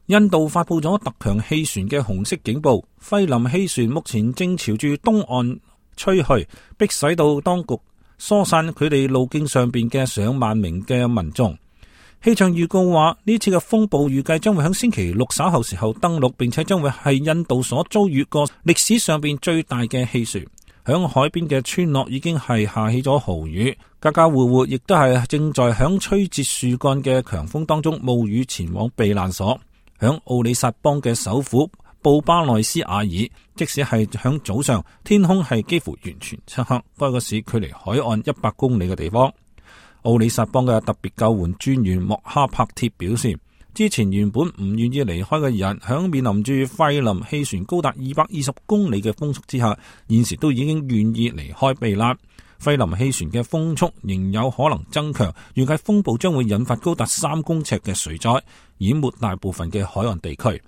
印度發佈咗特強氣旋嘅紅色警報，費林氣旋目前正朝住東岸吹去，迫使到當局疏散佢哋路徑上邊嘅上萬名嘅民眾。氣象預告話，呢次嘅風暴預計將會喺星期六稍後時候登陸，並且將會係印度所遭遇過歷史上邊最大嘅氣旋。響海邊嘅村落已經係下起咗豪雨，家家戶戶亦都係正在響吹折樹幹嘅強風當中冒雨前往避難所。響奧里薩邦嘅首府布巴內斯瓦爾，即使係響早上，天空係幾乎完全漆黑。該個市距離海岸100公里嘅地方。奧里薩邦嘅特別救援專員莫哈帕鐵表示，之前原本唔願意離開嘅人，響面臨住費林氣旋高達220公里嘅風速之下，現時都已經願意離開避難。費林氣旋嘅風速仍有可能增強，預計風暴將會引發高達3公尺嘅水災，淹沒大部分嘅海岸地區。